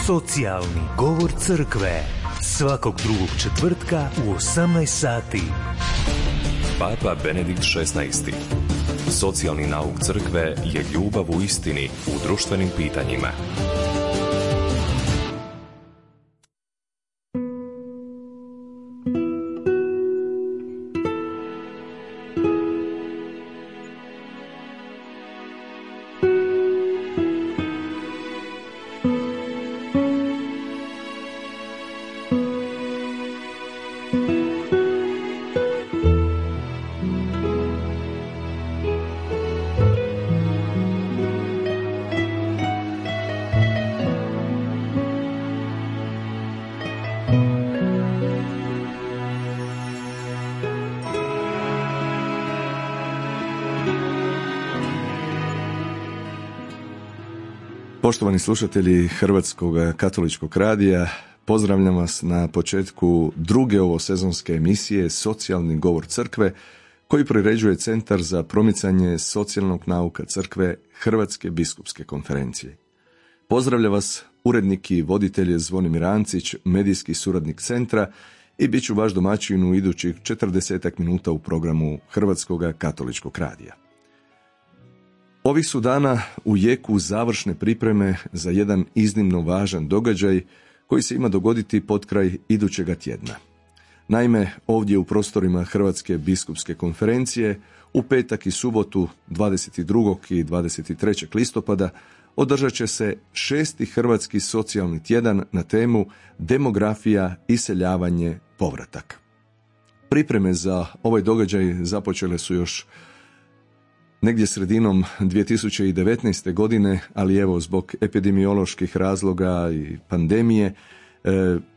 Socijalni govor crkve. Svakog drugog četvrtka u 18 sati. Papa Benedikt XVI. Socijalni nauk crkve je ljubav u istini u društvenim pitanjima. Poštovani slušatelji Hrvatskog katoličkog radija, pozdravljam vas na početku druge ovosezonske emisije Socijalni govor crkve, koji priređuje Centar za promicanje socijalnog nauka crkve Hrvatske biskupske konferencije. Pozdravlja vas urednik i voditelj Zvonimir Ancić, medijski suradnik centra, i bit ću vaš domaćin u idućih 40 minuta u programu Hrvatskog katoličkog radija. Ovih su dana u jeku završne pripreme za jedan iznimno važan događaj koji se ima dogoditi potkraj idućega tjedna. Naime, ovdje u prostorima Hrvatske biskupske konferencije u petak i subotu 22. i 23. listopada održat će se 6. Hrvatski socijalni tjedan na temu Demografija, iseljavanje, povratak. Pripreme za ovaj događaj započele su još negdje sredinom 2019. godine, ali evo zbog epidemioloških razloga i pandemije,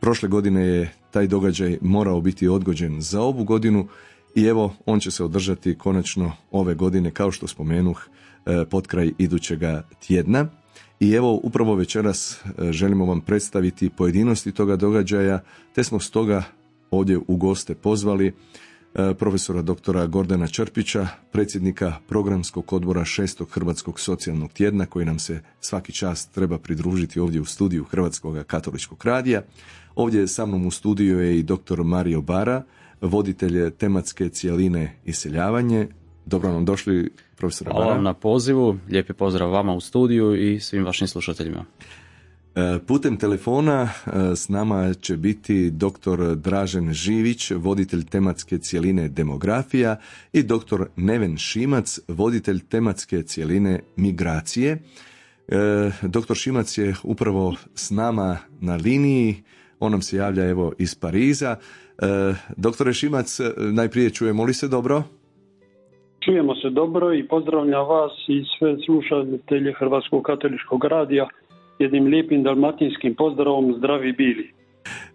prošle godine je taj događaj morao biti odgođen za ovu godinu i evo on će se održati konačno ove godine, kao što spomenuh, potkraj idućega tjedna. I evo upravo večeras želimo vam predstaviti pojedinosti toga događaja, te smo stoga ovdje u goste pozvali profesora doktora Gordana Črpića, predsjednika programskog odbora 6. Hrvatskog socijalnog tjedna, koji nam se svaki čas treba pridružiti ovdje u studiju Hrvatskog katoličkog radija. Ovdje sa mnom u studiju je i doktor Mario Bara, voditelj tematske cjeline iseljavanje. Dobro nam došli, profesora Bara. Hvala vam na pozivu, lijepi pozdrav vama u studiju i svim vašim slušateljima. Putem telefona s nama će biti dr. Dražen Živić, voditelj tematske cjeline demografija, i dr. Neven Šimac, voditelj tematske cjeline migracije. Dr. Šimac je upravo s nama na liniji, on nam se javlja evo iz Pariza. Doktore Šimac, najprije čujemo li se dobro? Čujemo se dobro i pozdravljam vas i sve slušatelje Hrvatskog katoličkog radija. Jednim lijepim dalmatinskim pozdravom, zdravi bili.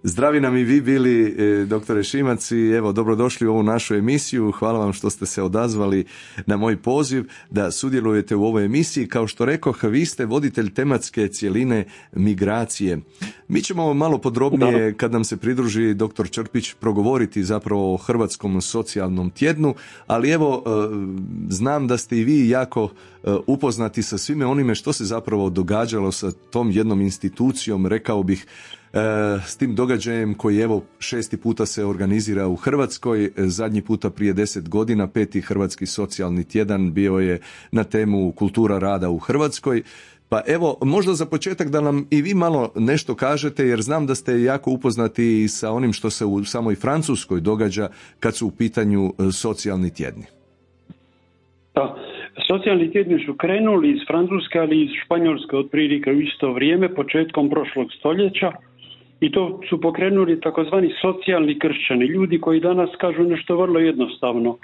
Zdravi nam i vi bili, doktore Šimac, i evo dobrodošli u ovu našu emisiju. Hvala vam što ste se odazvali na moj poziv da sudjelujete u ovoj emisiji. Kao što rekoh, vi ste voditelj tematske cjeline migracije. Mi ćemo malo podrobnije, kad nam se pridruži doktor Črpić, progovoriti zapravo o Hrvatskom socijalnom tjednu, ali evo, znam da ste i vi jako upoznati sa svime onime što se zapravo događalo sa tom jednom institucijom, rekao bih, s tim događajem koji evo 6. puta se organizira u Hrvatskoj, zadnji puta prije 10 godina, 5. Hrvatski socijalni tjedan bio je na temu kultura rada u Hrvatskoj. Pa evo, možda za početak da nam i vi malo nešto kažete, jer znam da ste jako upoznati sa onim što se u samoj Francuskoj događa kad su u pitanju socijalni tjedni. Da, socijalni tjedni su krenuli iz Francuske, ali i iz Španjolske otprilike u isto vrijeme, početkom prošlog stoljeća. I to su pokrenuli takozvani socijalni kršćani, ljudi koji danas kažu nešto vrlo jednostavno.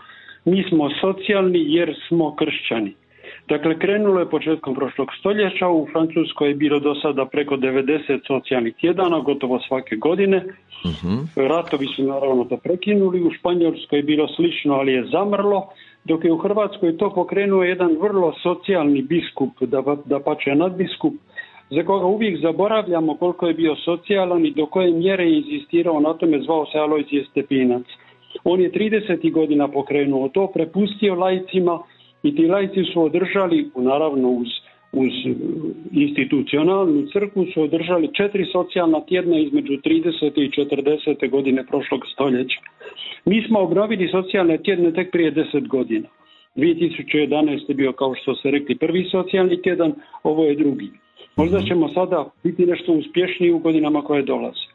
Mi smo socijalni jer smo kršćani. Dakle, krenulo je početkom prošlog stoljeća, u Francuskoj je bilo do sada preko 90 socijalnih tjedana, gotovo svake godine. Ratovi su naravno to prekinuli, u Španjolskoj je bilo slično, ali je zamrlo, dok je u Hrvatskoj to pokrenuo jedan vrlo socijalni biskup, dapače nadbiskup, za koga uvijek zaboravljamo koliko je bio socijalan i do koje mjere je inzistirao na tome, zvao se Alojzije Stepinac. On je 30. godina pokrenuo to, prepustio laicima i ti laici su održali, naravno uz uz institucionalnu crkvu su održali 4 socijalna tjedna između 30. i 40. godine prošlog stoljeća. Mi smo obnovili socijalne tjedne tek prije 10 godina. 2011. je bio, kao što ste rekli, prvi socijalni tjedan, ovo je drugi. Možda ćemo sada biti nešto uspješniji u godinama koje dolaze.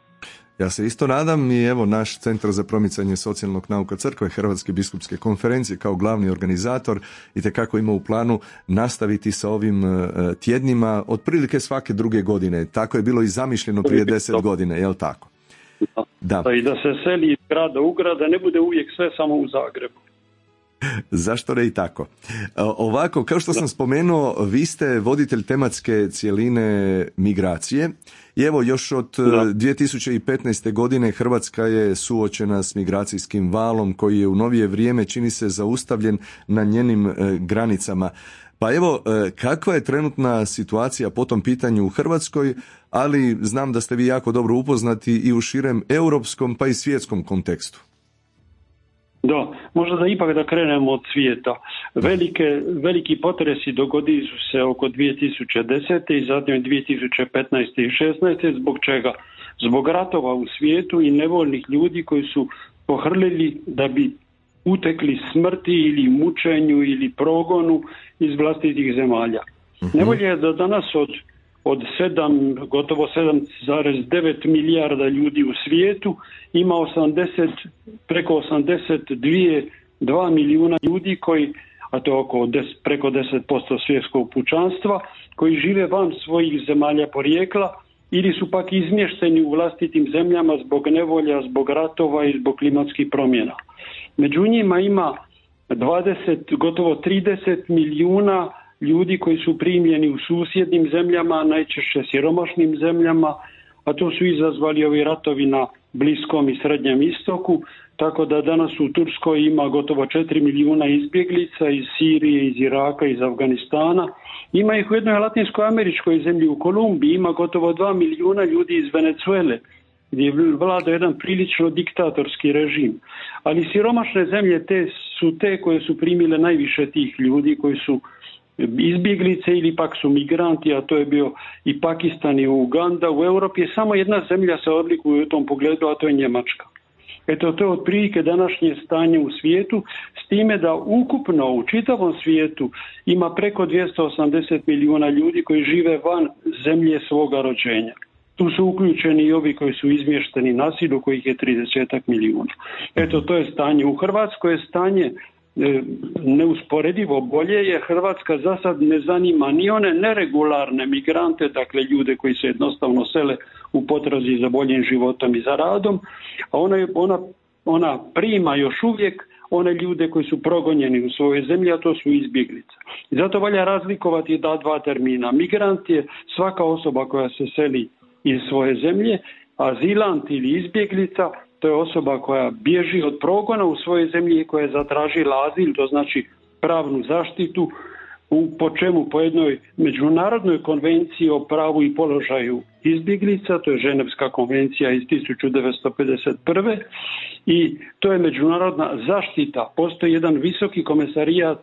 Ja se isto nadam i evo naš Centar za promicanje socijalnog nauka crkve Hrvatske biskupske konferencije kao glavni organizator itekako ima u planu nastaviti sa ovim tjednima otprilike svake druge godine. Tako je bilo i zamišljeno prije 10 godina, jel tako? Da. I da se seli iz grada u grad, da ne bude uvijek sve samo u Zagrebu. Zašto ne i tako? Ovako, kao što sam spomenuo, vi ste voditelj tematske cjeline migracije i evo još od 2015. godine Hrvatska je suočena s migracijskim valom koji je u novije vrijeme čini se zaustavljen na njenim granicama. Pa evo, kakva je trenutna situacija po tom pitanju u Hrvatskoj, ali znam da ste vi jako dobro upoznati i u širem europskom pa i svjetskom kontekstu. Da, možda da ipak da krenemo od svijeta. Veliki potresi dogodili su se oko 2010. i zatim 2015. i 2016. Zbog čega? Zbog ratova u svijetu i nevoljnih ljudi koji su pohrlili da bi utekli smrti ili mučenju ili progonu iz vlastitih zemalja. Nevolja je da danas od gotovo 7,9 milijarda ljudi u svijetu ima preko 82 milijuna ljudi koji, a to je preko 10% svjetskog pučanstva, koji žive van svojih zemalja porijekla ili su pak izmješteni u vlastitim zemljama zbog nevolja, zbog ratova i zbog klimatskih promjena. Među njima ima gotovo 30 milijuna ljudi koji su primljeni u susjednim zemljama, najčešće siromašnim zemljama, a to su izazvali ovi ratovi na Bliskom i Srednjem istoku, tako da danas u Turskoj ima gotovo 4 milijuna izbjeglica iz Sirije, iz Iraka, iz Afganistana. Ima ih u jednoj latinsko-američkoj zemlji, u Kolumbiji, ima gotovo 2 milijuna ljudi iz Venezuele, gdje vlada jedan prilično diktatorski režim. Ali siromašne zemlje su te koje su primile najviše tih ljudi, koji su izbjeglice ili pak su migranti, a to je bio i Pakistan i Uganda. U Europi je samo jedna zemlja se odlikuje u tom pogledu, a to je Njemačka. Eto, to je otprilike današnje stanje u svijetu, s time da ukupno u čitavom svijetu ima preko 280 milijuna ljudi koji žive van zemlje svoga rođenja. Tu su uključeni i ovi koji su izmješteni na silu, kojih je 30 milijuna. Eto, to je stanje. U Hrvatskoj je stanje neusporedivo bolje, jer Hrvatska za sad ne zanima ni one neregularne migrante, dakle ljude koji se jednostavno sele u potrazi za boljim životom i za radom, a ona prima još uvijek one ljude koji su progonjeni u svojoj zemlji, a to su izbjeglice. I zato valja razlikovati dva termina. Migrant je svaka osoba koja se seli iz svoje zemlje, azilant ili izbjeglica to je osoba koja bježi od progona u svojoj zemlji i koja je zatražila azil, to znači pravnu zaštitu, po jednoj međunarodnoj konvenciji o pravu i položaju izbjeglica, to je Ženevska konvencija iz 1951. I to je međunarodna zaštita. Postoji jedan visoki komesarijat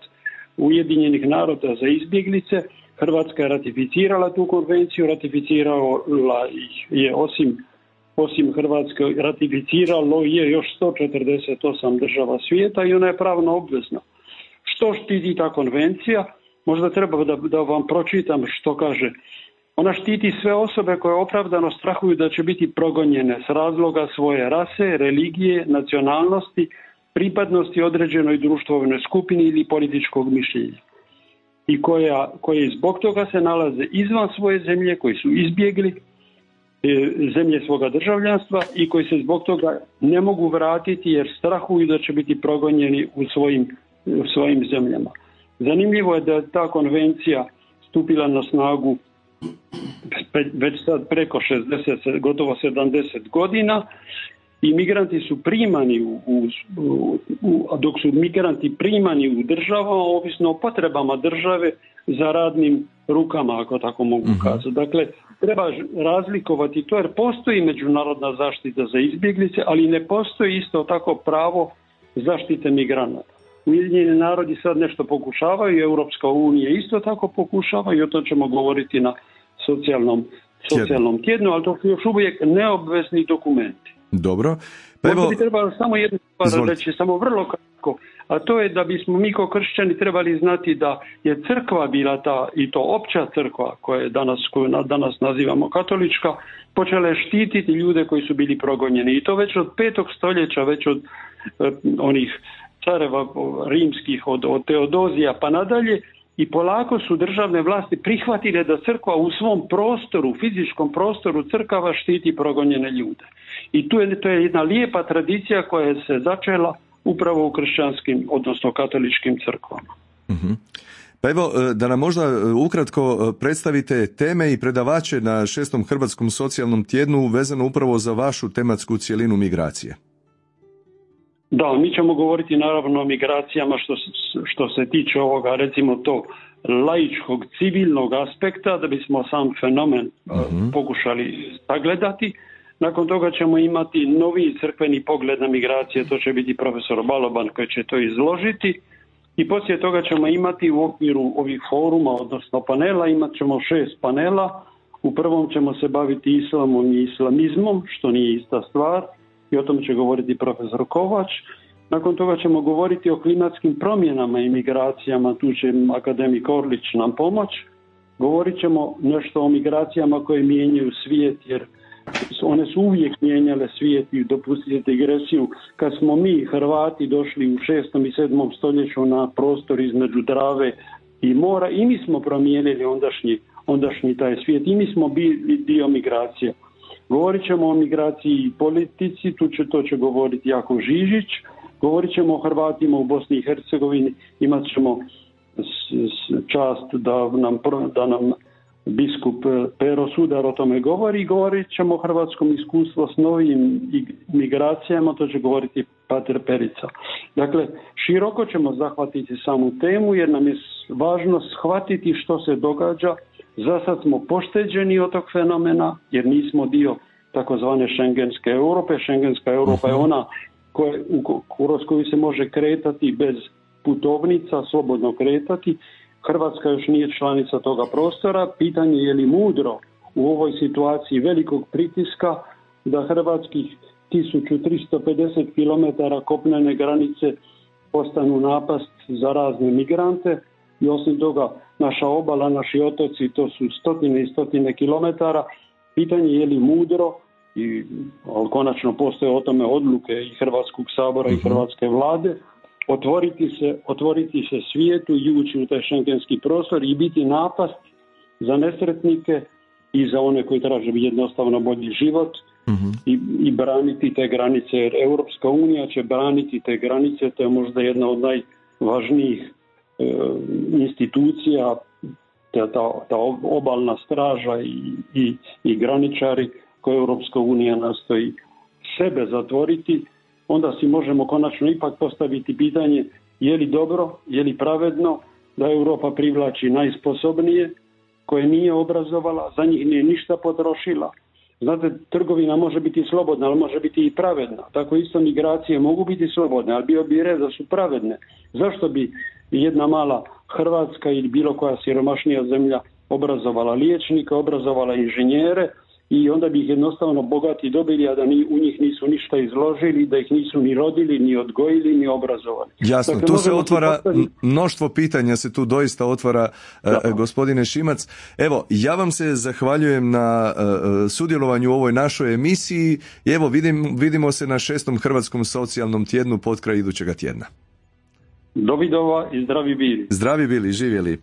Ujedinjenih naroda za izbjeglice. Hrvatska je ratificirala tu konvenciju, ratificirala je osim Hrvatske, ratificiralo je još 148 država svijeta i ona je pravno obvezna. Što štiti ta konvencija? Možda treba da vam pročitam što kaže. Ona štiti sve osobe koje opravdano strahuju da će biti progonjene s razloga svoje rase, religije, nacionalnosti, pripadnosti određenoj društvenoj skupini ili političkog mišljenja. I koje zbog toga se nalaze izvan svoje zemlje, koji su izbjegli zemlje svoga državljanstva i koji se zbog toga ne mogu vratiti jer strahuju da će biti progonjeni u svojim zemljama. Zanimljivo je da je ta konvencija stupila na snagu već sad preko 60, gotovo 70 godina i migranti su primani dok su migranti primani u državama, ovisno o potrebama države za radnim rukama, ako tako mogu kazati. Dakle, treba razlikovati to jer postoji međunarodna zaštita za izbjeglice, ali ne postoji isto tako pravo zaštite migranata. Ujedinjeni narodi sad nešto pokušavaju, Europska unija isto tako pokušava i o to ćemo govoriti na socijalnom tjednu, ali to su još uvijek neobvezni dokumenti. Dobro. Pa evo, bi trebalo samo jednu stvar reći, samo vrlo kratko, a to je da bismo mi kao kršćani trebali znati da je crkva bila ta, i to opća crkva koju danas nazivamo katolička, počela štititi ljude koji su bili progonjeni. I to već od 5. stoljeća, već od onih careva rimskih, od Teodozija pa nadalje, i polako su državne vlasti prihvatile da crkva u svom prostoru, fizičkom prostoru crkava štiti progonjene ljude. I to je jedna lijepa tradicija koja se začela upravo u kršćanskim, odnosno katoličkim crkvama. Uh-huh. Pa evo, da nam možda ukratko predstavite teme i predavače na 6. Hrvatskom socijalnom tjednu vezano upravo za vašu tematsku cjelinu migracije. Da, mi ćemo govoriti naravno o migracijama što se tiče ovoga, recimo to laičkog, civilnog aspekta, da bismo sam fenomen pokušali sagledati. Nakon toga ćemo imati novi crkveni pogled na migracije, to će biti profesor Baloban koji će to izložiti. I poslije toga ćemo imati u okviru ovih foruma, odnosno panela, imat ćemo 6 panela. U prvom ćemo se baviti islamom i islamizmom, što nije ista stvar, i o tom će govoriti profesor Kovač. Nakon toga ćemo govoriti o klimatskim promjenama i migracijama, tu će akademik Orlić nam pomoć. Govorit ćemo nešto o migracijama koje mijenjaju svijet, jer one su uvijek mijenjale svijet i dopustite digresiju. Kad smo mi Hrvati došli u 6. i 7. stoljeću na prostor između Drave i mora, i mi smo promijenili ondašnji taj svijet, i mi smo bili dio migracije. Govorit ćemo o migraciji i politici, to će govoriti Jakov Žižić. Govorit ćemo o Hrvatima u Bosni i Hercegovini, imat ćemo čast da nam biskup Pero Sudar o tome govori. Govorit ćemo o hrvatskom iskustvu s novim migracijama, to će govoriti pater Perica. Dakle, široko ćemo zahvatiti samu temu jer nam je važno shvatiti što se događa. Za sad smo pošteđeni od tog fenomena jer nismo dio takozvane šengenske Europe. Šengenska Europa je ona kroz koju se može kretati bez putovnica, slobodno kretati. Hrvatska još nije članica toga prostora. Pitanje je li mudro u ovoj situaciji velikog pritiska da hrvatskih 1350 km kopnene granice postanu napast za razne migrante i osim toga naša obala, naši otoci, to su stotine i stotine kilometara. Pitanje je li mudro, ali konačno postoje o tome odluke i Hrvatskog sabora i Hrvatske vlade, otvoriti se svijetu i ući u taj šengenski prostor i biti napast za nesretnike i za one koji traže jednostavno bolji život i braniti te granice, jer Europska unija će braniti te granice, to je možda jedna od najvažnijih institucija, ta obalna straža i graničari koje Europska unija nastoji sebe zatvoriti. Onda si možemo konačno ipak postaviti pitanje je li dobro, je li pravedno da Europa privlači najsposobnije koje nije obrazovala, za njih nije ništa potrošila. Znate, trgovina može biti slobodna, ali može biti i pravedna. Tako isto migracije mogu biti slobodne, ali bio bi red da su pravedne. Zašto bi jedna mala Hrvatska ili bilo koja siromašnija zemlja obrazovala liječnika, obrazovala inženjere, i onda bi ih jednostavno bogati dobili, a da u njih nisu ništa izložili, da ih nisu ni rodili, ni odgojili, ni obrazovali. Jasno, dakle, tu se otvara mnoštvo pitanja, se tu doista otvara, gospodine Šimac. Evo, ja vam se zahvaljujem na sudjelovanju u ovoj našoj emisiji i evo, vidimo se na 6. Hrvatskom socijalnom tjednu potkraj idućega tjedna. Dovidova i zdravi bili. Zdravi bili, živjeli.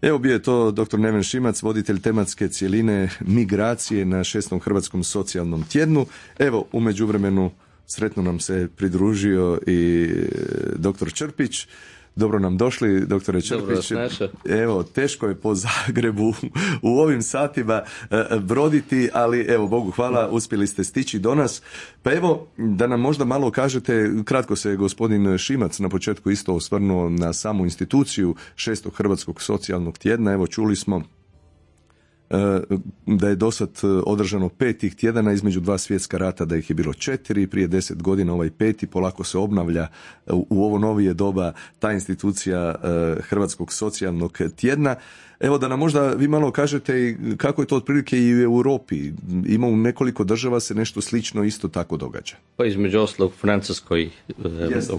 Evo bio je to dr. Neven Šimac, voditelj tematske cjeline migracije na 6. Hrvatskom socijalnom tjednu. Evo, u međuvremenu sretno nam se pridružio i dr. Črpić. Dobro nam došli, doktore Črpić. Evo, teško je po Zagrebu u ovim satima broditi, ali evo, Bogu hvala, uspjeli ste stići do nas. Pa evo, da nam možda malo kažete, kratko se gospodin Šimac na početku isto osvrnuo na samu instituciju 6. Hrvatskog socijalnog tjedna. Evo, čuli smo da je dosad održano 5 tih tjedana između 2 svjetska rata, da ih je bilo 4, prije 10 godina ovaj 5. polako se obnavlja u ovo novije doba ta institucija Hrvatskog socijalnog tjedna. Evo da nam možda vi malo kažete kako je to otprilike i u Europi. Ima u nekoliko država se nešto slično isto tako događa. Pa između ostalog u Francuskoj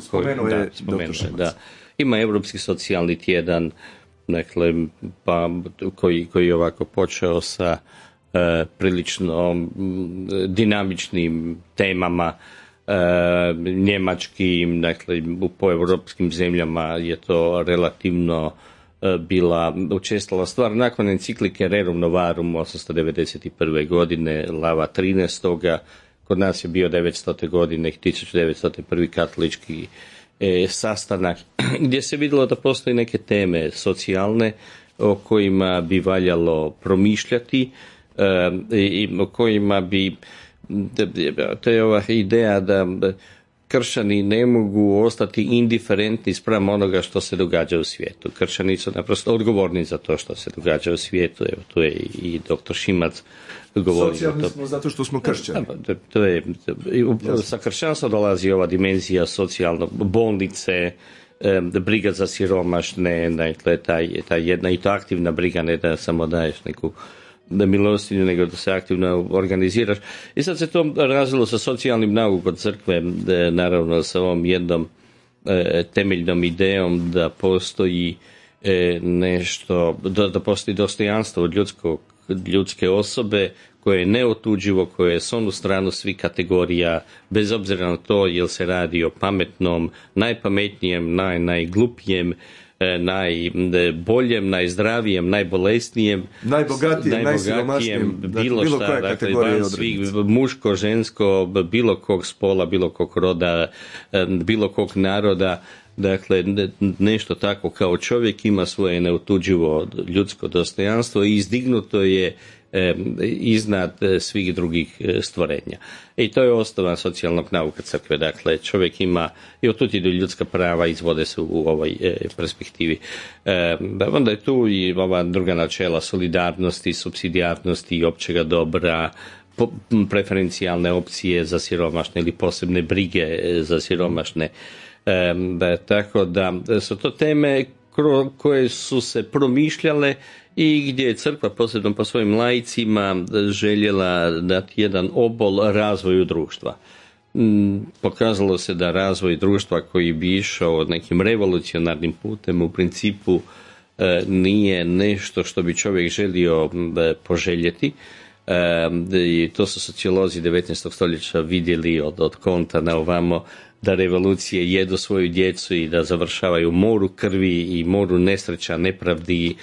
spomenuo je dr. Šimac. Ima Europski socijalni tjedan, dakle, pa, koji je ovako počeo sa prilično dinamičnim temama, njemačkim, dakle po europskim zemljama je to relativno bila učestala stvar. Nakon enciklike Rerum Novarum 891. godine, Lava 13. Kod nas je bio 900. godine, 1901. katolički sastanak, gdje se vidjelo da postoje neke teme socijalne o kojima bi valjalo promišljati i o kojima bi, to je ova ideja da kršćani ne mogu ostati indiferentni spram onoga što se događa u svijetu. Kršćani su naprosto odgovorni za to što se događa u svijetu. Evo, tu je i dr. Šimac govorio. Socijalni smo zato što smo kršćani. To je, sa kršćanstva dolazi ova dimenzija socijalno, bolnice, briga za siromašne, dakle, ta jedna i to aktivna briga, ne da samo daješ neku milostinju, nego da se aktivno organiziraš. I sad se to razvilo sa socijalnim naukom crkve, naravno sa ovom jednom temeljnom idejom da postoji nešto, da postoji dostojanstvo od ljudske osobe koje je neotuđivo, koje je s onu stranu svih kategorija, bez obzira na to jel se radi o pametnom, najpametnijem, najglupijem, najboljem, najzdravijem, najbolesnijem, najbogatijem, najsiromašnijem, bilo šta, dakle, van svih, muško, žensko, bilo kog spola, bilo kog roda, bilo kog naroda. Dakle, nešto tako kao čovjek ima svoje neotuđivo ljudsko dostojanstvo i izdignuto je iznad svih drugih stvorenja. I to je osnova socijalnog nauka crkve. Dakle, čovjek ima, i otud idu ljudska prava, izvode se u ovoj perspektivi. Onda je tu i ova druga načela solidarnosti, supsidijarnosti i općega dobra, preferencijalne opcije za siromašne ili posebne brige za siromašne. Tako da su to teme koje su se promišljale i gdje je crkva, posebno po svojim laicima, željela dati jedan obol razvoju društva. Pokazalo se da razvoj društva koji bi išao nekim revolucionarnim putem u principu nije nešto što bi čovjek želio poželjeti. I to su sociolozi 19. stoljeća vidjeli od Konta na ovamo, da revolucije jedu svoju djecu i da završavaju u moru krvi i moru nesreća, nepravdi.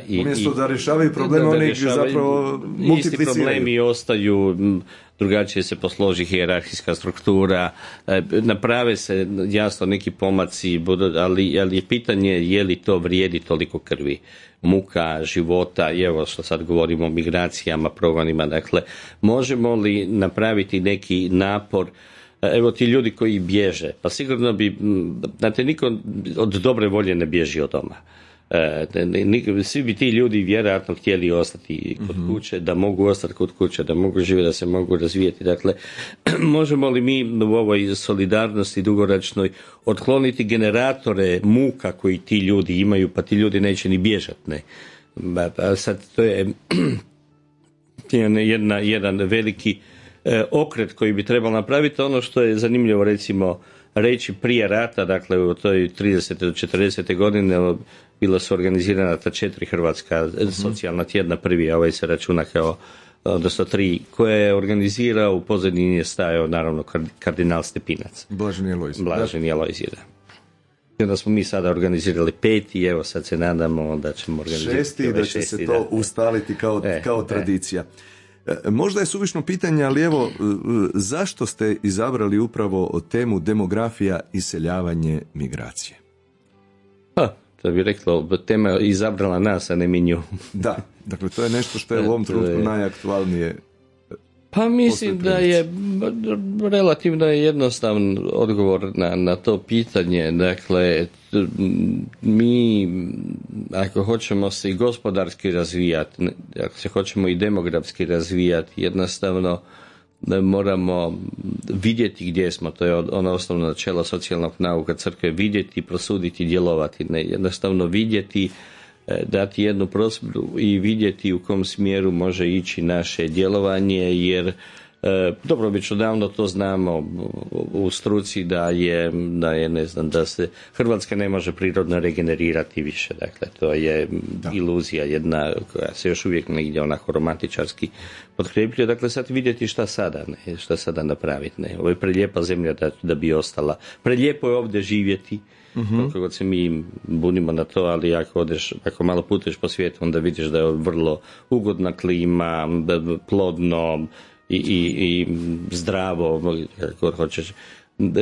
Umjesto da rješavaju probleme, oni zapravo multipliciraju. Isti problemi ostaju, drugačije se posloži hijerarhijska struktura, naprave se jasno neki pomaci, ali je pitanje je li to vrijedi toliko krvi, muka, života, i evo što sad govorimo o migracijama, progonima, dakle, možemo li napraviti neki napor. Evo ti ljudi koji bježe, pa sigurno bi, znate, niko od dobre volje ne bježi od doma. Svi bi ti ljudi vjerojatno htjeli ostati kod kuće, da mogu ostati kod kuće, da mogu živjeti, da se mogu razvijeti. Dakle, možemo li mi u ovoj solidarnosti dugoročnoj otkloniti generatore muka koji ti ljudi imaju, pa ti ljudi neće ni bježati, ne? Sad to je jedan veliki okret koji bi trebalo napraviti. Ono što je zanimljivo, recimo, reći prije rata, dakle u toj 30. do 40. godine bila su organizirana ta 4 hrvatska socijalna tjedna, prvi, a ovaj se računa kao, odnosno 3, koje je organizirao, u pozadini je stajao naravno kardinal Stepinac. Blaženi Alojzije, da. I onda smo mi sada organizirali 5 i evo sad se nadamo da ćemo organizirati 6 i da će se to ustaliti kao tradicija. Možda je suvišno pitanje, ali evo, zašto ste izabrali upravo temu demografija, iseljavanje, migracije? To bi reklo, tema je izabrala nas, a ne mi nju. Da, dakle to je nešto što je u ovom trenutku najaktualnije. Pa mislim da je relativno jednostavan odgovor na to pitanje. Dakle, mi ako hoćemo se i gospodarski razvijati, ako se hoćemo i demografski razvijati, jednostavno moramo vidjeti gdje smo. To je ono osnovno načelo socijalnog nauka crkve, vidjeti, prosuditi, djelovati. Ne, jednostavno vidjeti, dati jednu prosudbu i vidjeti u kom smjeru može ići naše djelovanje, jer dobro, već odavno to znamo u struci da je ne znam, da se Hrvatska ne može prirodno regenerirati više. Dakle, to je iluzija jedna koja se još uvijek negdje onako romantičarski potkrepljuje. Dakle, sad vidjeti šta sada napraviti. Ne. Ovo je prelijepa zemlja da bi ostala. Prelijepo je ovdje živjeti. Koliko god se mi bunimo na to, ali ako malo putuješ po svijetu, onda vidiš da je vrlo ugodna klima, plodno i zdravo, kako hoćeš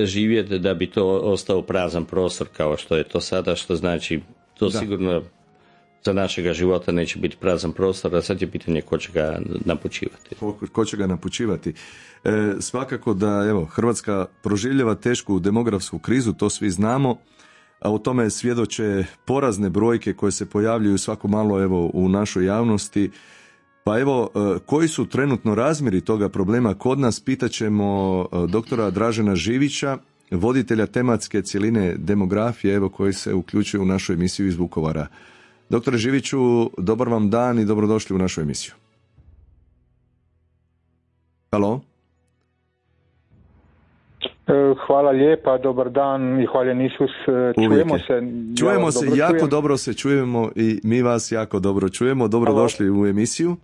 živjeti, da bi to ostao prazan prostor kao što je to sada, što znači to sigurno za našega života neće biti prazan prostor, a sad je pitanje ko će ga napučivati. Ko će ga napučivati. Svakako da Hrvatska proživljava tešku demografsku krizu, to svi znamo, a o tome svjedoče porazne brojke koje se pojavljuju svako malo u našoj javnosti. Pa koji su trenutno razmjeri toga problema kod nas, pitaćemo doktora Dražena Živića, voditelja tematske cjeline demografije, koji se uključuje u našu emisiju iz Vukovara. Doktore Živiću, dobar vam dan i dobrodošli u našu emisiju. Halo? Hvala lijepa, dobar dan i hvaljen Isus. Čujemo se, jako dobro se čujemo i mi vas jako dobro čujemo. Dobrodošli u emisiju.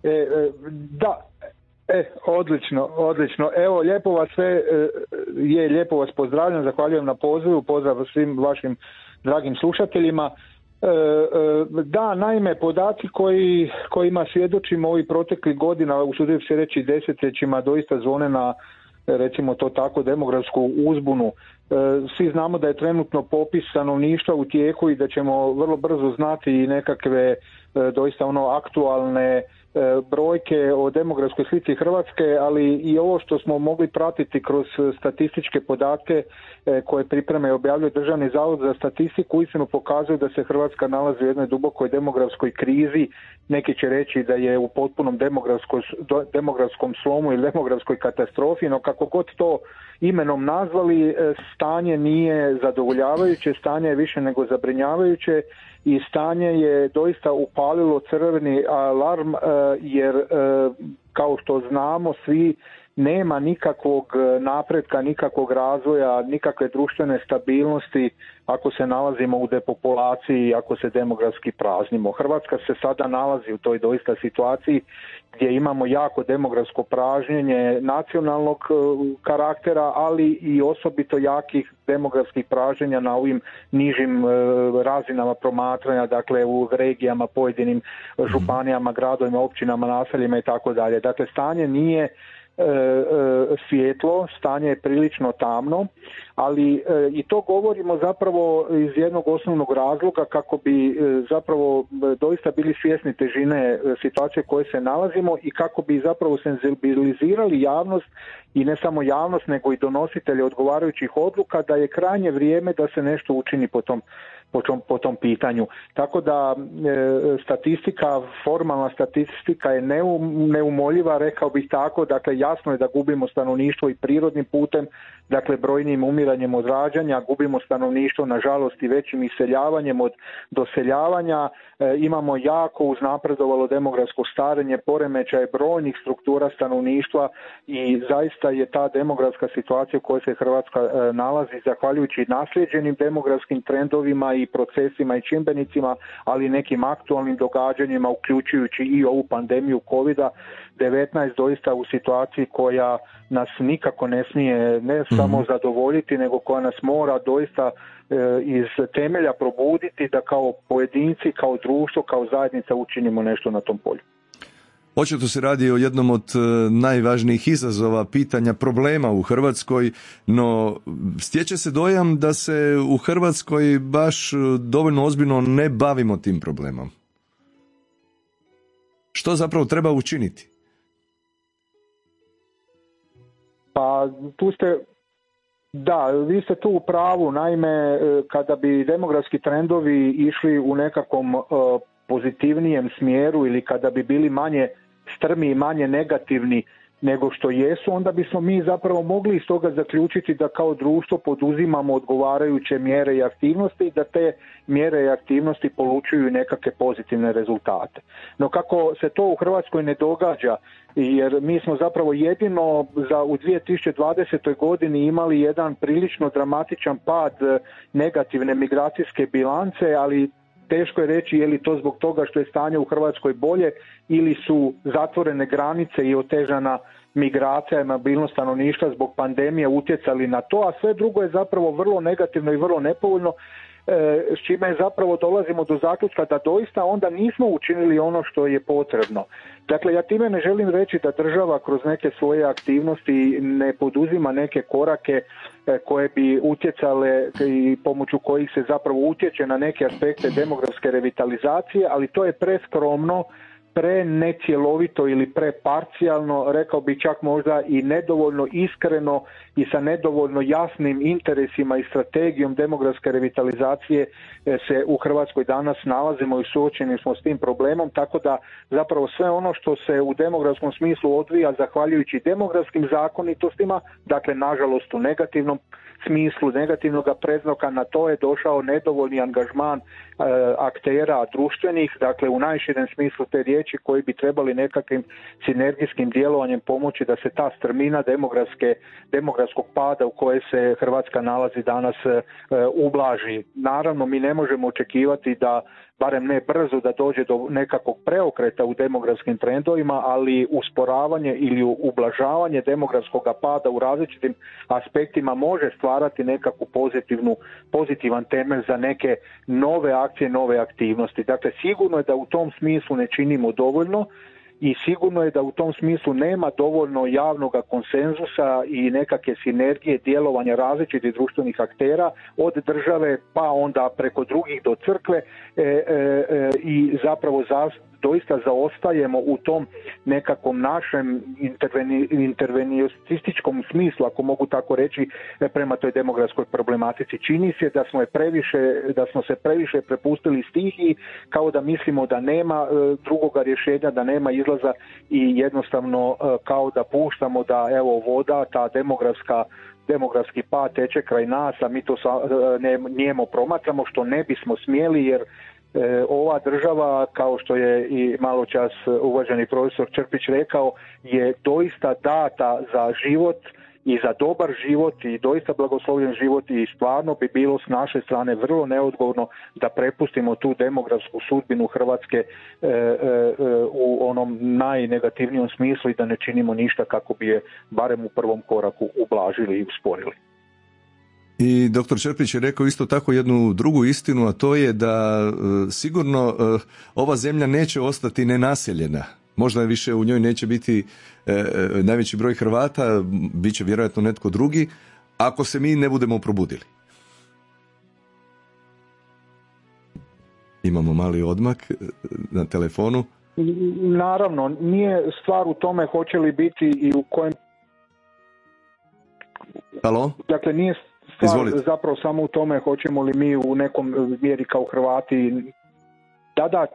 Odlično. Evo, lijepo vas sve, lijepo vas pozdravljam, zahvaljujem na pozivu, pozdrav svim vašim dragim slušateljima. Da, naime, podaci kojima svjedočimo ovih proteklih godina, usudim se reći desetljećima, doista zvone na, recimo to tako, demografsku uzbunu. Svi znamo da je trenutno popis stanovništva u tijeku i da ćemo vrlo brzo znati i nekakve doista aktualne brojke o demografskoj slici Hrvatske, ali i ovo što smo mogli pratiti kroz statističke podatke koje priprema i objavljuje Državni zavod za statistiku, uistinu pokazuju da se Hrvatska nalazi u jednoj dubokoj demografskoj krizi. Neki će reći da je u potpunom demografskom slomu ili demografskoj katastrofi, no kako god to imenom nazvali, stanje nije zadovoljavajuće, stanje je više nego zabrinjavajuće i stanje je doista upalilo crveni alarm, jer kao što znamo svi, nema nikakvog napretka, nikakvog razvoja, nikakve društvene stabilnosti ako se nalazimo u depopulaciji, ako se demografski praznimo. Hrvatska se sada nalazi u toj doista situaciji gdje imamo jako demografsko pražnjenje nacionalnog karaktera, ali i osobito jakih demografskih pražnjenja na ovim nižim razinama promatranja, dakle u regijama, pojedinim županijama, gradovima, općinama, naseljima i tako dalje. Dakle, stanje nije svjetlo, stanje je prilično tamno, ali i to govorimo zapravo iz jednog osnovnog razloga kako bi zapravo doista bili svjesni težine situacije u kojoj se nalazimo i kako bi zapravo senzibilizirali javnost i ne samo javnost nego i donositelje odgovarajućih odluka da je krajnje vrijeme da se nešto učini po tom pitanju. Tako da statistika, formalna statistika je neumoljiva, rekao bih tako, dakle jasno je da gubimo stanovništvo i prirodnim putem, dakle brojnim umiranjem od rađanja, gubimo stanovništvo nažalost i većim iseljavanjem od doseljavanja, imamo jako uznapredovalo demografsko starenje, poremećaje brojnih struktura stanovništva i zaista je ta demografska situacija u kojoj se Hrvatska nalazi zahvaljujući naslijeđenim demografskim trendovima i procesima i čimbenicima, ali i nekim aktualnim događanjima uključujući i ovu pandemiju COVID-19 doista u situaciji koja nas nikako ne smije ne samo zadovoljiti, nego koja nas mora doista iz temelja probuditi da kao pojedinci, kao društvo, kao zajednica učinimo nešto na tom polju. Očito se radi o jednom od najvažnijih izazova, pitanja, problema u Hrvatskoj, no stječe se dojam da se u Hrvatskoj baš dovoljno ozbiljno ne bavimo tim problemom. Što zapravo treba učiniti? Pa tu ste, da, vi ste tu u pravu. Naime, kada bi demografski trendovi išli u nekakvom pozitivnijem smjeru ili kada bi bili manje strmi i manje negativni nego što jesu, onda bismo mi zapravo mogli iz toga zaključiti da kao društvo poduzimamo odgovarajuće mjere i aktivnosti i da te mjere i aktivnosti polučuju nekakve pozitivne rezultate. No kako se to u Hrvatskoj ne događa, jer mi smo zapravo jedino u 2020. godini imali jedan prilično dramatičan pad negativne migracijske bilance, ali teško je reći je li to zbog toga što je stanje u Hrvatskoj bolje ili su zatvorene granice i otežana migracija i mobilnost stanovništva zbog pandemije utjecali na to, a sve drugo je zapravo vrlo negativno i vrlo nepovoljno, s čime zapravo dolazimo do zaključka da doista onda nismo učinili ono što je potrebno. Dakle, ja time ne želim reći da država kroz neke svoje aktivnosti ne poduzima neke korake koje bi utjecale i pomoću kojih se zapravo utječe na neke aspekte demografske revitalizacije, ali to je preskromno, prenecjelovito ili preparcijalno, rekao bih čak možda i nedovoljno iskreno i sa nedovoljno jasnim interesima i strategijom demografske revitalizacije se u Hrvatskoj danas nalazimo i suočeni smo s tim problemom, tako da zapravo sve ono što se u demografskom smislu odvija zahvaljujući demografskim zakonitostima, dakle nažalost u negativnom smislu, negativnog predznaka, na to je došao nedovoljni angažman aktera društvenih, dakle u najširem smislu te riječi, koji bi trebali nekakvim sinergijskim djelovanjem pomoći da se ta strmina demografskog pada u kojoj se Hrvatska nalazi danas ublaži. Naravno, mi ne možemo očekivati da, barem ne brzo, da dođe do nekakvog preokreta u demografskim trendovima, ali usporavanje ili ublažavanje demografskog pada u različitim aspektima može stvarati nekakvu pozitivan temelj za neke nove akcije, nove aktivnosti. Dakle, sigurno je da u tom smislu ne činimo dovoljno i sigurno je da u tom smislu nema dovoljno javnog konsenzusa i nekakve sinergije djelovanja različitih društvenih aktera od države pa onda preko drugih do crkve i zapravo doista zaostajemo u tom nekakvom našem intervenističkom smislu, ako mogu tako reći, prema toj demografskoj problematici. Čini se da smo se previše prepustili stihiji, kao da mislimo da nema drugoga rješenja, da nema izlaza i jednostavno kao da puštamo da evo voda, ta demografski pad teče kraj nas, a mi to nijemo promatramo, što ne bismo smjeli, jer ova država, kao što je i maločas uvaženi profesor Črpić rekao, je doista data za život i za dobar život i doista blagoslovljen život i stvarno bi bilo s naše strane vrlo neodgovorno da prepustimo tu demografsku sudbinu Hrvatske u onom najnegativnijom smislu i da ne činimo ništa kako bi je barem u prvom koraku ublažili i usporili. I dr. Črpić je rekao isto tako jednu drugu istinu, a to je da sigurno ova zemlja neće ostati nenaseljena. Možda više u njoj neće biti najveći broj Hrvata, bit će vjerojatno netko drugi, ako se mi ne budemo probudili. Imamo mali odmak na telefonu. Naravno, nije stvar u tome hoće li biti i u kojem... Halo? Dakle, nije stvar zapravo samo u tome hoćemo li mi u nekom mjeri kao Hrvati... Da,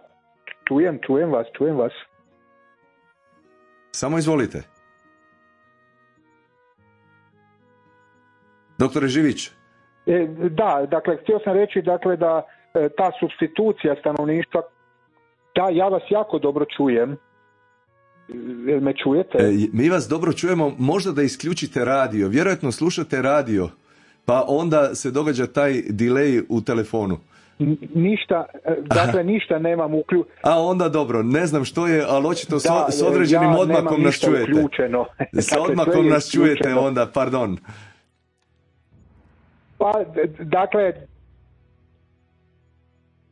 čujem vas. Samo izvolite. Doktore Živić. Da, dakle, htio sam reći dakle, da ta supstitucija stanovništva, da, ja vas jako dobro čujem. Me čujete? Mi vas dobro čujemo, možda da isključite radio. Vjerojatno slušate radio, pa onda se događa taj delay u telefonu. Ništa nemam uključeno. A onda dobro, ne znam što je, ali očito s određenim odmakom nas čujete. S odmakom nas čujete onda, pardon. Pa, dakle,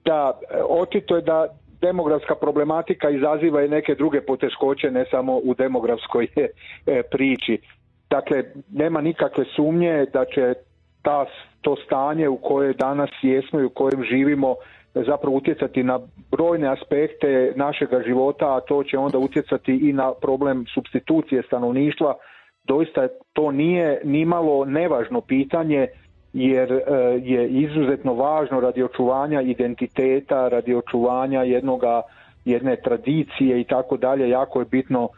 da, očito je da demografska problematika izaziva i neke druge poteškoće, ne samo u demografskoj priči. Dakle, nema nikakve sumnje da će to stanje u kojoj danas jesmo i u kojem živimo zapravo utjecati na brojne aspekte našega života, a to će onda utjecati i na problem supstitucije stanovništva doista to nije nimalo nevažno pitanje, jer je izuzetno važno radi očuvanja identiteta, radi očuvanja jedne tradicije i tako dalje. Jako je bitno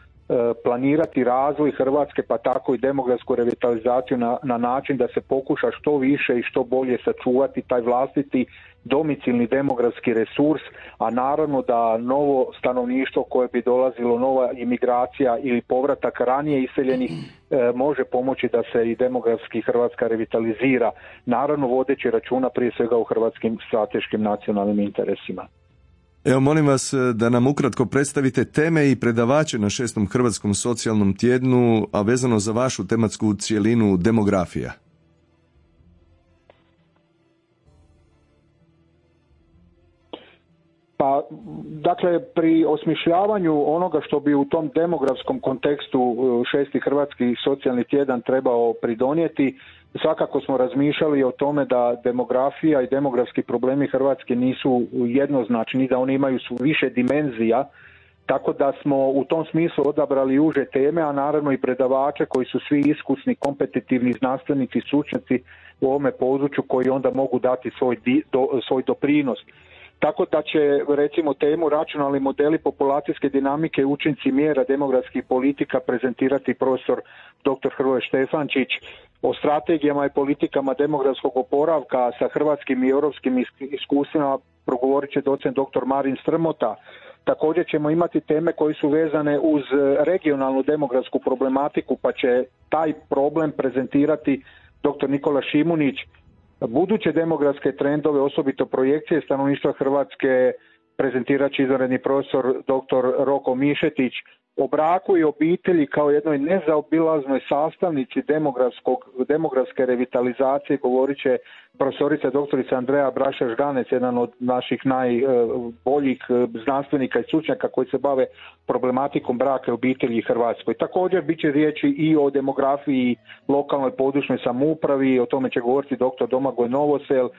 planirati razvoj Hrvatske, pa tako i demografsku revitalizaciju na način da se pokuša što više i što bolje sačuvati taj vlastiti domicilni demografski resurs, a naravno da novo stanovništvo koje bi dolazilo, nova imigracija ili povratak ranije iseljenih može pomoći da se i demografski Hrvatska revitalizira, naravno vodeći računa prije svega u hrvatskim strateškim nacionalnim interesima. Evo, molim vas da nam ukratko predstavite teme i predavače na 6. Hrvatskom socijalnom tjednu, a vezano za vašu tematsku cjelinu demografija. Pa, dakle, pri osmišljavanju onoga što bi u tom demografskom kontekstu 6. Hrvatski socijalni tjedan trebao pridonijeti, svakako smo razmišljali o tome da demografija i demografski problemi Hrvatske nisu jednoznačni, da oni imaju više dimenzija, tako da smo u tom smislu odabrali uže teme, a naravno i predavače koji su svi iskusni, kompetitivni znanstvenici, stručnjaci u ovome području koji onda mogu dati svoj doprinos. Tako da će, recimo, temu računalni modeli populacijske dinamike i učinci mjera demografskih politika prezentirati profesor dr. Hrvoje Štefančić, o strategijama i politikama demografskog oporavka sa hrvatskim i europskim iskustvima progovorit će docent dr. Marin Strmota. Također ćemo imati teme koje su vezane uz regionalnu demografsku problematiku, pa će taj problem prezentirati dr. Nikola Šimunić. Buduće demografske trendove, osobito projekcije stanovništva Hrvatske, prezentirat će izvanredni profesor dr. Roko Mišetić. O braku i obitelji kao jednoj nezaobilaznoj sastavnici demografske revitalizacije govorit će profesorica doktorica Andreja Braša-Žganec, jedan od naših najboljih znanstvenika i stručnjaka koji se bave problematikom braka i obitelji u Hrvatskoj. Također bit će riječi i o demografiji, lokalnoj područnoj samoupravi, o tome će govoriti dr. Domagoj Novosel.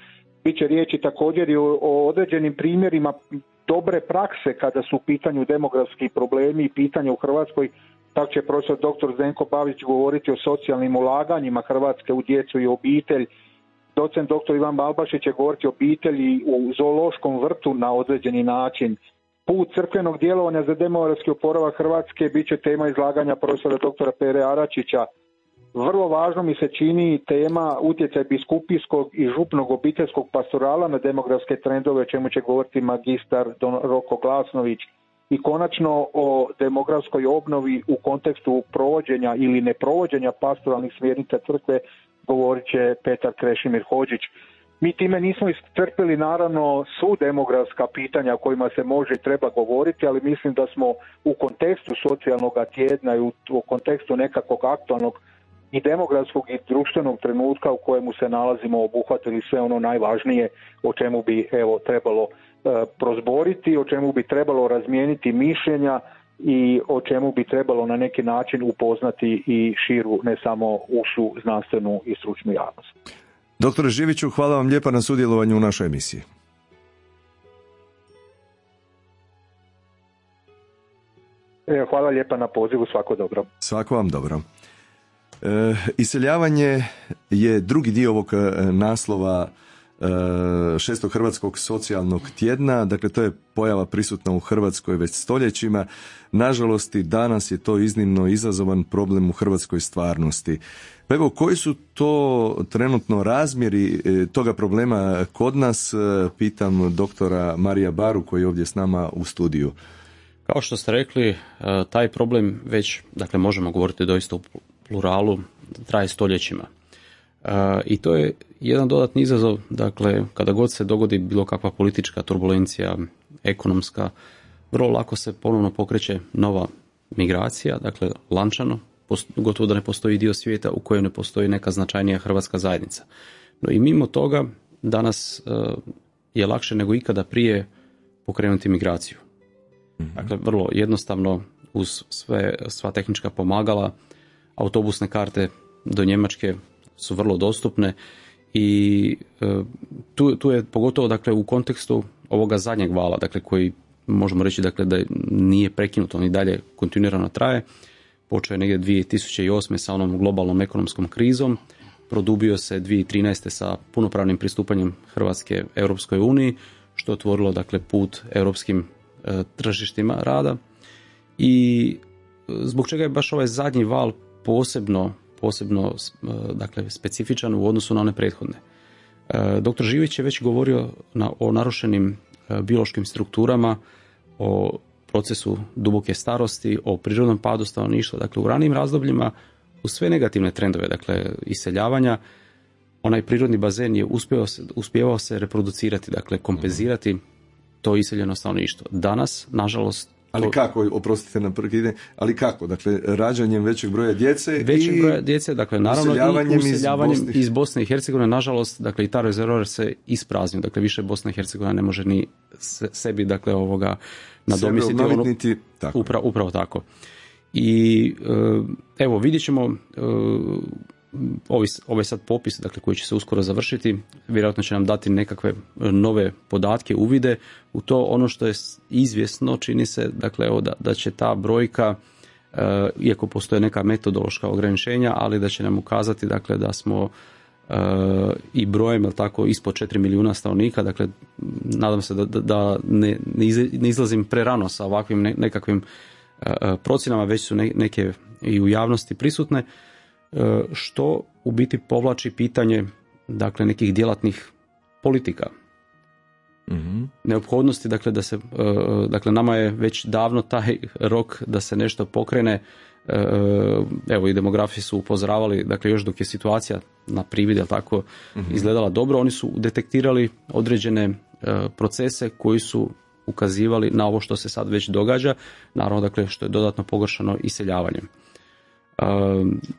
Biće riječi također i o određenim primjerima dobre prakse kada su u pitanju demografski problemi i pitanja u Hrvatskoj. Tako će profesor dr. Zdenko Babić govoriti o socijalnim ulaganjima Hrvatske u djecu i obitelj. Docent dr. Ivan Balbašić će govoriti o obitelji u zoološkom vrtu na određeni način. Put crkvenog djelovanja za demografski oporavak Hrvatske bit će tema izlaganja profesora dr. Pere Aračića. Vrlo važno mi se čini tema utjecaj biskupijskog i župnog obiteljskog pastorala na demografske trendove, o čemu će govoriti magistar Don Roko Glasnović. I konačno o demografskoj obnovi u kontekstu provođenja ili neprovođenja pastoralnih smjernica crkve govorit će Petar Krešimir Hodžić. Mi time nismo iscrpili naravno svu demografska pitanja o kojima se može i treba govoriti, ali mislim da smo u kontekstu socijalnog tjedna i u kontekstu nekakvog aktualnog i demografskog i društvenog trenutka u kojemu se nalazimo obuhvatili sve ono najvažnije o čemu bi trebalo prozboriti, o čemu bi trebalo razmijeniti mišljenja i o čemu bi trebalo na neki način upoznati i širu, ne samo ušu, znanstvenu i stručnu javnost. Doktore Živiću, hvala vam lijepa na sudjelovanju u našoj emisiji. Hvala lijepa na pozivu, svako dobro. Svako vam dobro. Iseljavanje je drugi dio ovog naslova 6. Hrvatskog socijalnog tjedna, dakle to je pojava prisutna u Hrvatskoj već stoljećima. Nažalost i danas je to iznimno izazovan problem u hrvatskoj stvarnosti. Pa evo, koji su to trenutno razmjeri toga problema kod nas, pitam doktora Marija Baru koji je ovdje s nama u studiju. Kao što ste rekli, taj problem već, dakle možemo govoriti doista u pluralu, traje stoljećima. I to je jedan dodatni izazov, dakle kada god se dogodi bilo kakva politička turbulencija, ekonomska, vrlo lako se ponovno pokreće nova migracija, dakle lančano, gotovo da ne postoji dio svijeta u kojem ne postoji neka značajnija hrvatska zajednica. No i mimo toga danas je lakše nego ikada prije pokrenuti migraciju. Dakle, vrlo jednostavno uz sva tehnička pomagala, autobusne karte do Njemačke su vrlo dostupne i tu je pogotovo dakle u kontekstu ovoga zadnjeg vala, dakle koji možemo reći dakle da nije prekinut, on i dalje kontinuirano traje. počeo je negdje 2008. sa onom globalnom ekonomskom krizom, produbio se 2013. sa punopravnim pristupanjem Hrvatske Europskoj uniji, što je otvorilo dakle put europskim tržištima rada. I zbog čega je baš ovaj zadnji val posebno dakle specifičan u odnosu na one prethodne. Dr. Živić je već govorio o narušenim biološkim strukturama, o procesu duboke starosti, o prirodnom padu stanovništva. Dakle, u ranijim razdobljima u sve negativne trendove, dakle iseljavanja, onaj prirodni bazen je uspjevao se reproducirati, dakle kompenzirati to iseljeno stanovništvo. Danas, nažalost... Ali kako, oprostite na prvi, ali kako? Dakle, rađanjem većeg broja djece dakle, naravno i useljavanjem iz Bosne i Hercegovine, nažalost, dakle, i ta rezervoar se ispraznio, dakle, više Bosna i Hercegovina ne može ni sebi, dakle, nadomjestiti upravo tako. I evo, vidjet ćemo ovaj sad popis, dakle, koji će se uskoro završiti, vjerojatno će nam dati nekakve nove podatke, uvide u to. Ono što je izvjesno, čini se, dakle, da će ta brojka, iako postoje neka metodološka ograničenja, ali da će nam ukazati, dakle, da smo i brojem, jel tako, ispod 4 milijuna stanovnika, dakle, nadam se da ne izlazim prerano sa ovakvim nekakvim procjenama, već su neke i u javnosti prisutne, što u biti povlači pitanje, dakle, nekih djelatnih politika. Mm-hmm. Neophodnosti, dakle, da se, dakle, nama je već davno taj rok da se nešto pokrene. Evo, i demografi su upozoravali, dakle, još dok je situacija na privid, jel tako, izgledala dobro, oni su detektirali određene procese koji su ukazivali na ovo što se sad već događa, naravno, dakle, što je dodatno pogoršano iseljavanjem.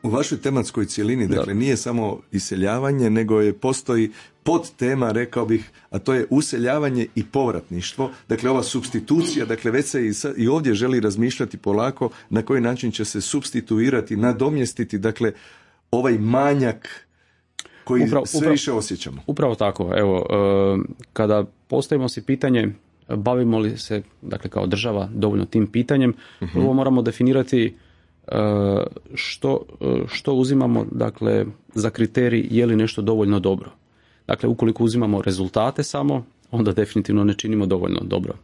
U vašoj tematskoj cjelini, dakle, nije samo iseljavanje, nego postoji podtema, rekao bih, a to je useljavanje i povratništvo. Dakle, ova supstitucija, dakle, već se i ovdje želi razmišljati polako na koji način će se supstituirati, nadomjestiti, dakle, ovaj manjak koji sve više osjećamo. Upravo tako. Evo, kada postavimo si pitanje bavimo li se, dakle, kao država dovoljno tim pitanjem, prvo moramo definirati što uzimamo, dakle, za kriterij je li nešto dovoljno dobro. Dakle, ukoliko uzimamo rezultate samo, onda definitivno ne činimo dovoljno dobro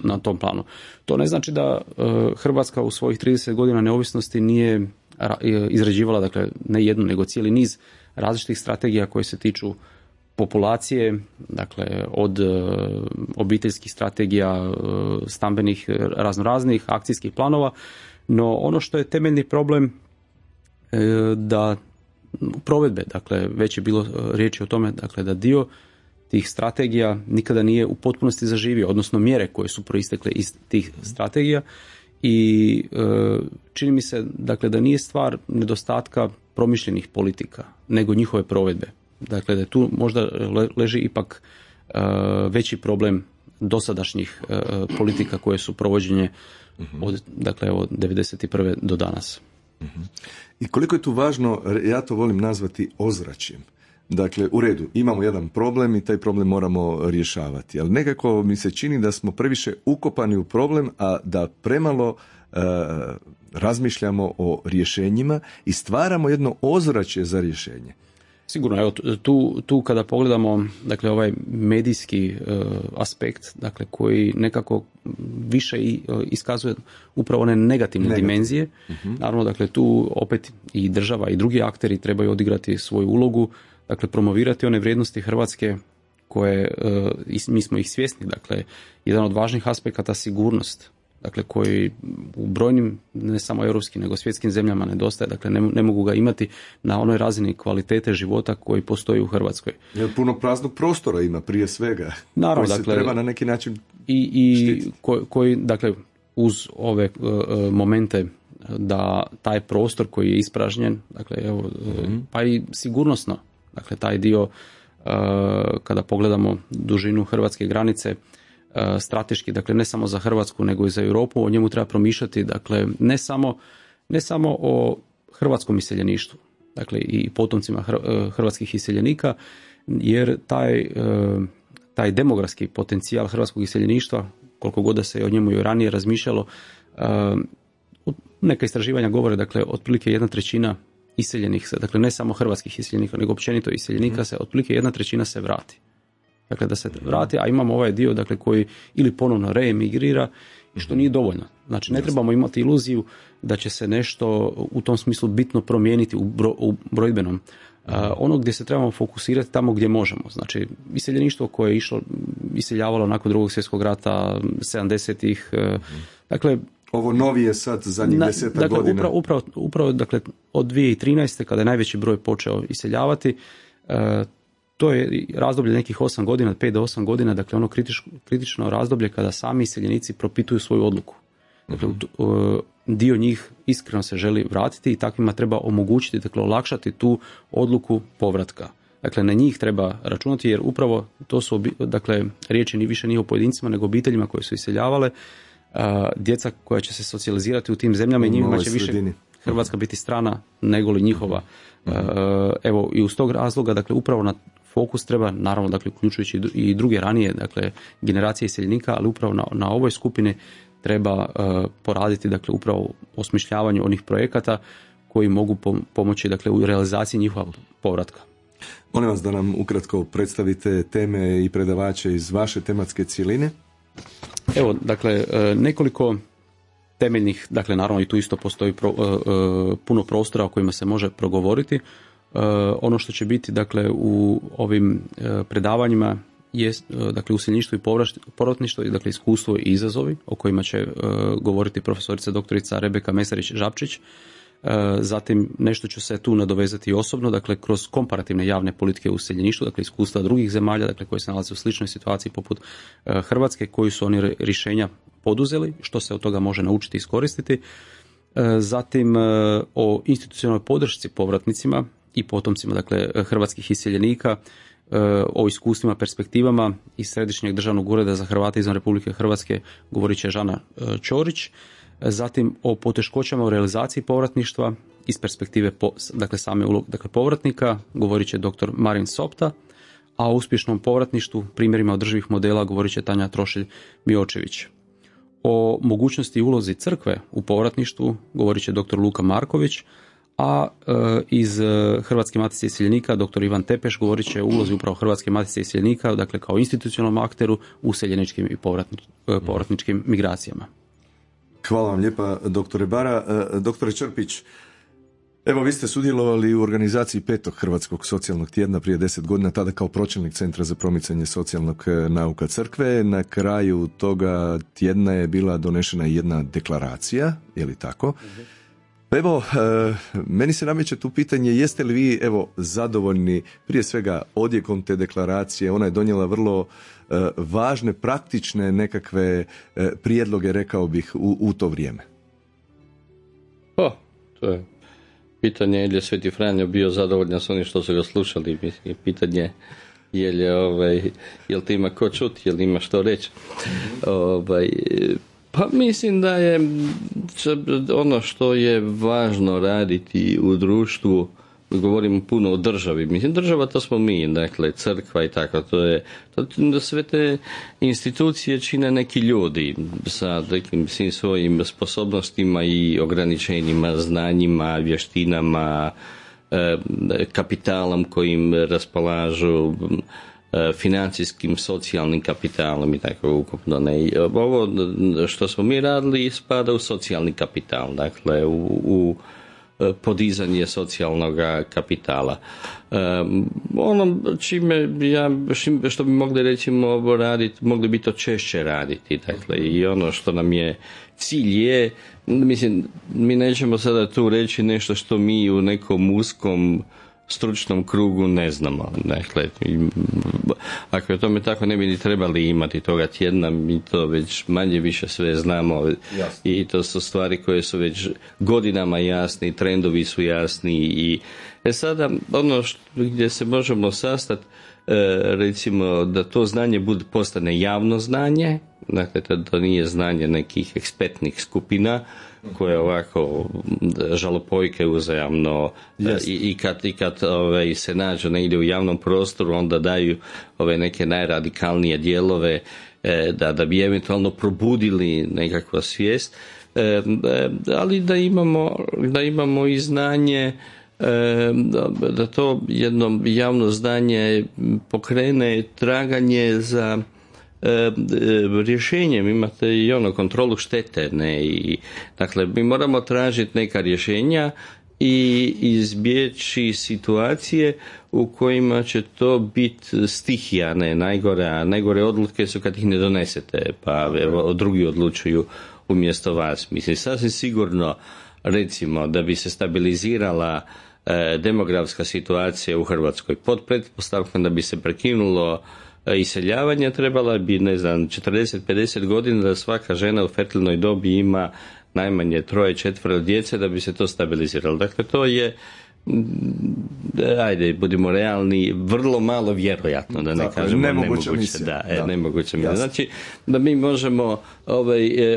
na tom planu. To ne znači da Hrvatska u svojih 30 godina neovisnosti nije izrađivala, dakle, ne jednu, nego cijeli niz različitih strategija koje se tiču populacije, dakle, od obiteljskih strategija, stambenih, raznoraznih akcijskih planova. No, ono što je temeljni problem da provedbe, dakle, već je bilo riječi o tome, dakle, da dio tih strategija nikada nije u potpunosti zaživio, odnosno mjere koje su proistekle iz tih strategija, i čini mi se, dakle, da nije stvar nedostatka promišljenih politika, nego njihove provedbe. Dakle, da tu možda leži ipak veći problem dosadašnjih politika koje su provođenje od 1991. do danas. I koliko je tu važno, ja to volim nazvati ozračjem. Dakle, u redu, imamo jedan problem i taj problem moramo rješavati, ali nekako mi se čini da smo previše ukopani u problem, a da premalo razmišljamo o rješenjima i stvaramo jedno ozračje za rješenje. Sigurno, evo, tu kada pogledamo, dakle, ovaj medijski aspekt, dakle, koji nekako više iskazuje upravo one negativne dimenzije. Naravno, dakle, tu opet i država i drugi akteri trebaju odigrati svoju ulogu, dakle, promovirati one vrijednosti Hrvatske koje, mi smo ih svjesni, dakle, jedan od važnih aspekata sigurnost, dakle, koji u brojnim, ne samo europskim, nego svjetskim zemljama nedostaje, dakle, ne mogu ga imati na onoj razini kvalitete života koji postoji u Hrvatskoj. Jer puno praznog prostora ima prije svega, naravno, koji dakle, se treba na neki način i koji, dakle, uz ove momente da taj prostor koji je ispražnjen, dakle, evo, pa i sigurnosno, dakle, taj dio, kada pogledamo dužinu hrvatske granice, strateški, dakle, ne samo za Hrvatsku nego i za Europu, o njemu treba promišljati, dakle, ne samo o hrvatskom iseljeništvu, dakle, i potomcima hrvatskih iseljenika, jer taj demografski potencijal hrvatskog iseljeništva, koliko god da se o njemu i ranije razmišljalo, Neka istraživanja govore, dakle, otprilike 1/3 iseljenih se, dakle ne samo hrvatskih iseljenika, nego općenito iseljenika se, otprilike 1/3 se vrati. Dakle, da se vrati, a imamo ovaj dio, dakle, koji ili ponovno reemigrira, što nije dovoljno. Znači, ne trebamo imati iluziju da će se nešto u tom smislu bitno promijeniti u brojbenom. Ono gdje se trebamo fokusirati tamo gdje možemo. Znači, iseljeništvo koje je iseljavalo nakon Drugog svjetskog rata, 70-ih, dakle, ovo novije sad zadnjih 10 godina. Upravo, dakle, od 2013. kada je najveći broj počeo iseljavati, to je razdoblje nekih 8 godina, 5 do 8 godina, dakle ono kritično razdoblje kada sami iseljenici propituju svoju odluku. Dakle, dio njih iskreno se želi vratiti i takvima treba omogućiti, dakle olakšati tu odluku povratka. Dakle, na njih treba računati jer upravo to su, dakle, riječi ni više nije o pojedincima nego obiteljima koje su iseljavale, djeca koja će se socijalizirati u tim zemljama i njima će više Hrvatska biti strana nego li njihova. Evo, i uz tog razloga, dakle, upravo na fokus treba, naravno, dakle, uključujući i druge ranije, dakle, generacije iseljenika, ali upravo na ovoj skupini treba poraditi, dakle, upravo u osmišljavanju onih projekata koji mogu pomoći, dakle, u realizaciji njihova povratka. Molim vas da nam ukratko predstavite teme i predavače iz vaše tematske cjeline. Evo, dakle, nekoliko temeljnih, dakle, naravno i tu isto postoji puno prostora o kojima se može progovoriti. Ono što će biti, dakle, u ovim predavanjima je, dakle, useljeništvo i povratništvo, dakle, iskustvo i izazovi o kojima će govoriti profesorica doktorica Rebeka Mesarić-Žapčić. Zatim nešto ću se tu nadovezati i osobno, dakle, kroz komparativne javne politike u useljeništvu, dakle, iskustva drugih zemalja, dakle, koji se nalaze u sličnoj situaciji poput Hrvatske, koji su oni rješenja poduzeli, što se od toga može naučiti i iskoristiti. Zatim o institucionalnoj podršci povratnicima i potomcima, dakle, hrvatskih iseljenika, o iskustvima, perspektivama iz Središnjeg državnog ureda za Hrvate izvan Republike Hrvatske govorit će Žana Ćorić. Zatim o poteškoćama u realizaciji povratništva iz perspektive, dakle, same uloge, dakle, povratnika govorit će dr. Marin Sopta, a o uspješnom povratništvu, primjerima održivih modela govorit će Tanja Trošilj-Miočević. O mogućnosti i ulozi crkve u povratništvu govorit će dr. Luka Marković, a iz Hrvatske matice iseljenika dr. Ivan Tepeš govorit će o ulozi upravo Hrvatske matice iseljenika, dakle, kao institucionalnom akteru u useljeničkim i povratničkim migracijama. Hvala vam lijepa, doktore Bara. Doktore Črpić, evo, vi ste sudjelovali u organizaciji 5. Hrvatskog socijalnog tjedna prije 10 godina, tada kao pročelnik Centra za promicanje socijalnog nauka crkve. Na kraju toga tjedna je bila donešena jedna deklaracija, je li tako? Pa evo, meni se nameće tu pitanje, jeste li vi, evo, zadovoljni prije svega odjekom te deklaracije? Ona je donijela vrlo važne, praktične nekakve prijedloge, rekao bih, u to vrijeme. To je pitanje je li je Sveti Franjo bio zadovoljan s onim što su ga slušali. Pitanje je li ti ima ko čuti, je li ima što reći. Pa mislim da je ono što je važno raditi u društvu, govorimo puno o državi, mislim država to smo mi, dakle crkva i tako, to sve te institucije čine neki ljudi sa nekim svim svojim sposobnostima i ograničenjima, znanjima, vještinama, kapitalom kojim raspolažu, financijskim, socijalnim kapitalom i tako ukupno. Ovo što smo mi radili spada u socijalni kapital, dakle u podizanje socijalnog kapitala. Ono što bi mogli recimo raditi, mogli bi to češće raditi, dakle, i ono što nam je cilj je, mislim, mi nećemo sada tu reći nešto što mi u nekom uskom stručnom krugu ne znamo. Dakle, ako je tome tako, ne bi ni trebali imati toga tjedna, mi to već manje više sve znamo. Jasne. I to su stvari koje su već godinama jasni, trendovi su jasni i sada ono gdje se možemo sastati, recimo da to znanje postane javno znanje, dakle to nije znanje nekih ekspertnih skupina koje ovako žalopojke uzajamno i kad se nađu negdje u javnom prostoru, onda daju neke najradikalnije dijelove da bi eventualno probudili nekakvu svijest, ali da imamo i znanje, da to jedno javno znanje pokrene traganje za rješenjem. Imate i kontrolu štete, ne? I, dakle, mi moramo tražiti neka rješenja i izbjeći situacije u kojima će to biti stihija, ne najgore, a najgore odluke su kad ih ne donesete, pa evo, drugi odlučuju umjesto vas. Mislim, sasvim sigurno, recimo, da bi se stabilizirala demografska situacija u Hrvatskoj pod pretpostavkom da bi se prekinulo iseljavanje, trebala bi, 40-50 godina da svaka žena u fertilnoj dobi ima najmanje 3-4 djece da bi se to stabiliziralo. Dakle, to je, ajde, budimo realni, vrlo malo vjerojatno, da ne kažemo nemoguće. Nemoguće. Znači, da mi možemo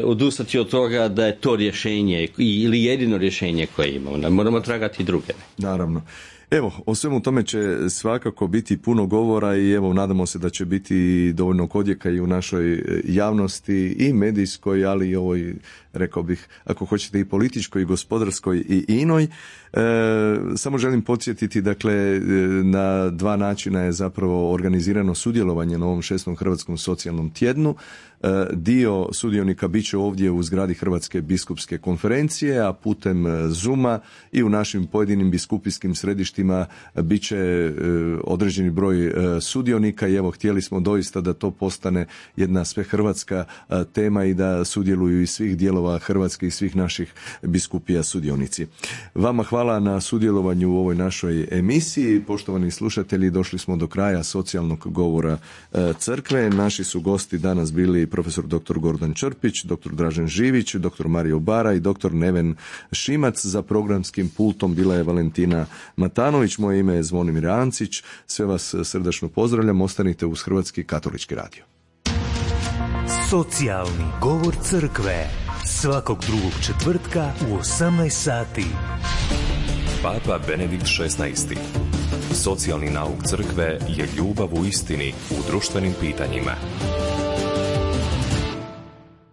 odustati od toga da je to rješenje ili jedino rješenje koje imamo. Da moramo tragati druge. Naravno. Evo, o svemu tome će svakako biti puno govora i evo, nadamo se da će biti dovoljno odjeka i u našoj javnosti i medijskoj, ali i ovoj, rekao bih, ako hoćete, i političkoj, i gospodarskoj, i inoj. Samo želim podsjetiti, dakle, na 2 načina je zapravo organizirano sudjelovanje na ovom 6. Hrvatskom socijalnom tjednu. Dio sudionika bit će ovdje u zgradi Hrvatske biskupske konferencije, a putem Zooma i u našim pojedinim biskupijskim središtima bit će određeni broj sudionika i evo, htjeli smo doista da to postane jedna svehrvatska tema i da sudjeluju iz svih dijelova Hrvatske i svih naših biskupija sudionici. Vama hvala na sudjelovanju u ovoj našoj emisiji. Poštovani slušatelji, došli smo do kraja socijalnog govora crkve. Naši su gosti danas bili profesor dr. Gordan Črpić, dr. Dražen Živić, dr. Mario Bara i dr. Neven Šimac. Za programskim pultom bila je Valentina Matanović. Moje ime je Zvonimir Ancić. Sve vas srdačno pozdravljam. Ostanite uz Hrvatski katolički radio. Socijalni govor crkve. Svakog drugog četvrtka u 18 sati. Papa Benedikt XVI. Socijalni nauk crkve je ljubav u istini u društvenim pitanjima.